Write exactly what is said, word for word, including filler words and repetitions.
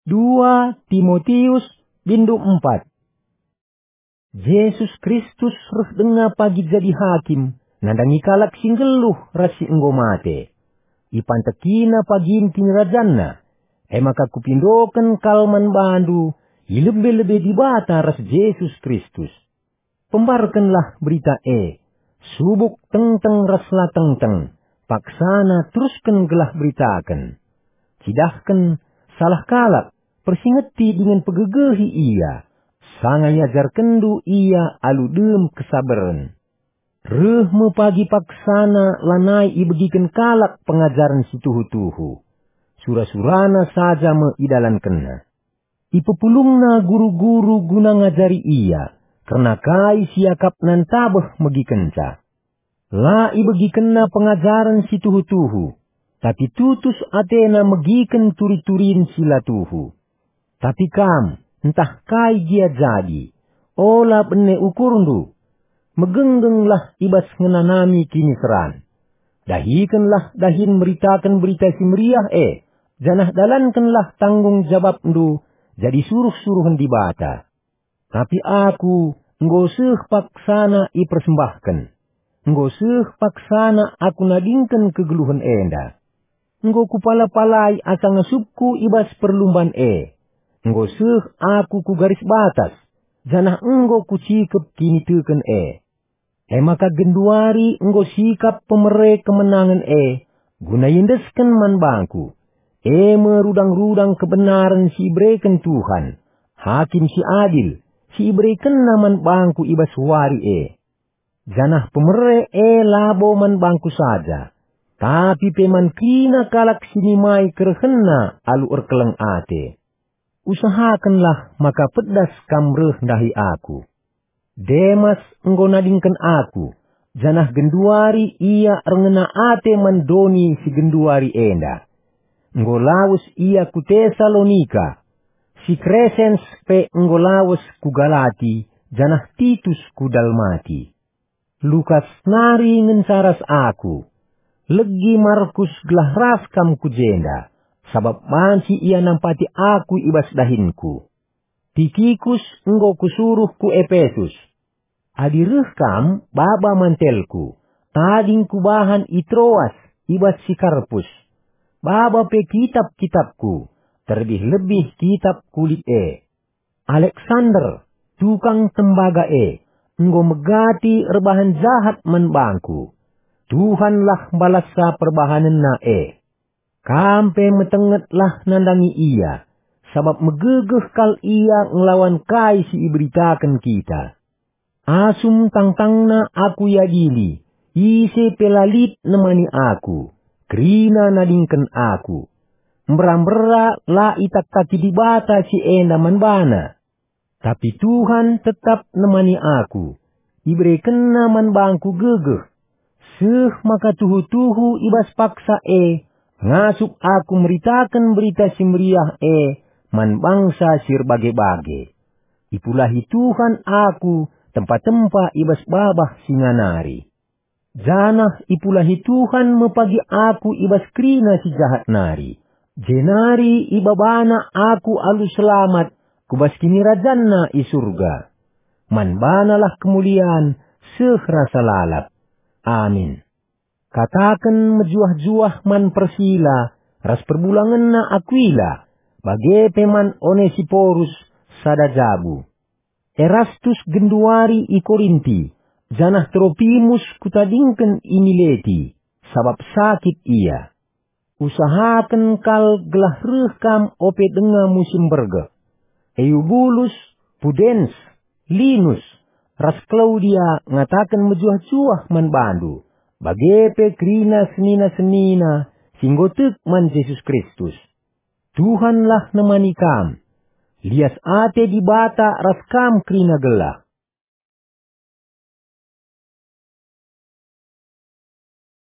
Dua Timotius, bindu empat. Jesus Kristus reh denga pagi jadi hakim, nandangi kalak si nggeluh ras si enggo mate. IpantekiNa pagin kinirajanNa, e maka kupindoken kal man bandu i lebe-lebe Dibata ras Jesus Kristus. Pembarkenlah berita e, subuk tengteng ras la tengteng, paksana terusken gelah beritaken. Cidahken salah kalak, persingeti dingen pegegehi ia, sanga iajarkenndu ia alu dem kesabaren. Reh me pagi paksana lanai ibegiken kalak pengajaren si tuhu-tuhu. Sura-surana saja me idalankenna. Ipepulungna guru-guru guna ngajari ia, kerna kai si iakapna ntabeh megikenca. La ibegikenna pengajaren si tuhu-tuhu, tapi tutus atena megiken turi-turin si la tuhu. Tapi kam, ntah kai gia jadi, ola bene ukurndu. Megenggenlah i bas ngenanami kiniseran. Dahikenlah dahin meritaken Berita Si Meriah e, janah dalankenlah tanggung jabapndu jadi suruh-suruhen Dibata. Tapi aku enggo seh paksana ipersembahken. Enggo seh paksana aku nadingken kegeluhen enda. Enggo kupala-palai asa ngasupku i bas perlumban e. Enggo seh aku ku garis batas, janah enggo kucikep kiniteken e. E maka genduari enggo sikap pemere kemenangen e, guna iendesken man bangku, e me rudang-rudang kebenaren si ibereken Tuhan, Hakim si adil, si iberekenNa man bangku i bas wari e. Janah pemere e labo man bangku saja, tapi pe man kerina kalak si nimai kerehenna alu erkeleng ate. Usahakenlah maka pedas kam reh ndahi aku. Demas enggo nadingken aku, janah genduari ia erngena ate man doni si genduari enda. Enggo lawes ia ku Tesalonika. Si Kresens pe enggo lawes ku Galati, janah Titus ku Dalmati. Lukas nari ngenca ras aku. Legi Markus gelah ras kam ku jenda, sabap banci ia nampati aku i bas dahinku. Tikikus enggo kusuruh ku Epesus. Adi reh kam, baba mantelku, tading kubahan i Troas, i bas si Karpus. Baba pe kitap-kitapku, terlebih-lebih kitap kulit e. Aleksander, tukang tembaga e, enggo megati erbahan jahat man bangku. Tuhanlah mbalassa perbahanenna e. Kam pe metengetlah nandangi ia, sabap megegeh kal ia ngelawan kai si iberitaken kita. Asum tangtangna aku iadili, ise pe la lit nemani aku, kerina nadingken aku. Mbera-mbera la itaktaki Dibata si enda man bana. Tapi Tuhan tetap nemani aku, iberekenNa man bangku gegeh. Seh maka tuhu-tuhu i bas paksa e, ngasup aku meritaken Berita Si Meriah e man bangsa si erbage-bage. Ipulahi Tuhan aku tempa-tempa i bas babah singa nari. Janah ipulahi Tuhan me pagi aku i bas kerina si jahat nari, jenari ibabana aku alu selamat ku bas kinirajanNa i Surga. Man banalah kemulian seh rasa lalap. Amin. Kataken mejuah-juah man Persila ras perbulangenna Akuila, bage pe man Onesiporus sada jabu. Erastus genduari i Korinti, janah Tropimus kutadingken i Mileti, sabap sakit ia. Usahaken kal gelah reh kam ope denga musim bergeh. Eubulus, Pudens, Linus, ras Klaudia ngataken mejuah-juah man bandu, bage pe kerina senina-senina si enggo tek man Jesus Kristus. Tuhanlah nemani kam. Lias ate Dibata ras kam kerina gelah.